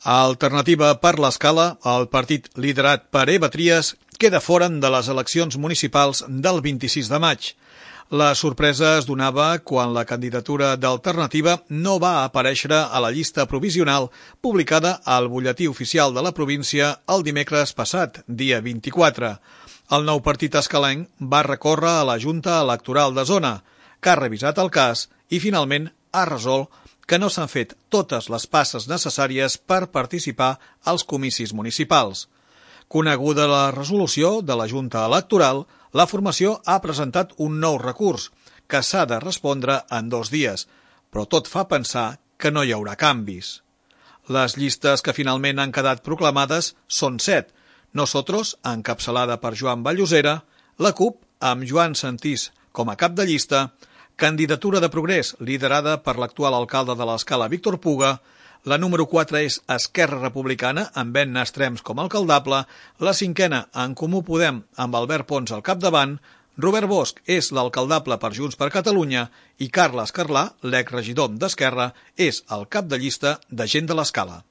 Alternativa per l'Escala, el partit liderat per Eva Trias, queda fora de les eleccions municipals del 26 de maig. La sorpresa es donava quan la candidatura d'Alternativa no va aparèixer a la llista provisional publicada al butlletí oficial de la província el dimecres passat, dia 24. El nou partit escalenc va recórrer a la Junta Electoral de Zona, que ha revisat el cas i finalment ha resolt que no s'han fet totes les passes necessàries per participar als comicis municipals. Coneguda la resolució de la Junta Electoral, la formació ha presentat un nou recurs, que s'ha de respondre en 2 dies, però tot fa pensar que no hi haurà canvis. Les llistes que finalment han quedat proclamades són 7. Nosotros, encapçalada per Joan Vallosera, la CUP, amb Joan Santís com a cap de llista, Candidatura de Progrés, liderada per l'actual alcalde de l'Escala, Víctor Puga, la número 4 és Esquerra Republicana, amb Ben Nastrems com a alcaldable, la 5a, En Comú Podem, amb Albert Pons al capdavant, Robert Bosch és l'alcaldable per Junts per Catalunya i Carles Carlà, l'exregidor d'Esquerra, és el cap de llista de Gent de l'Escala.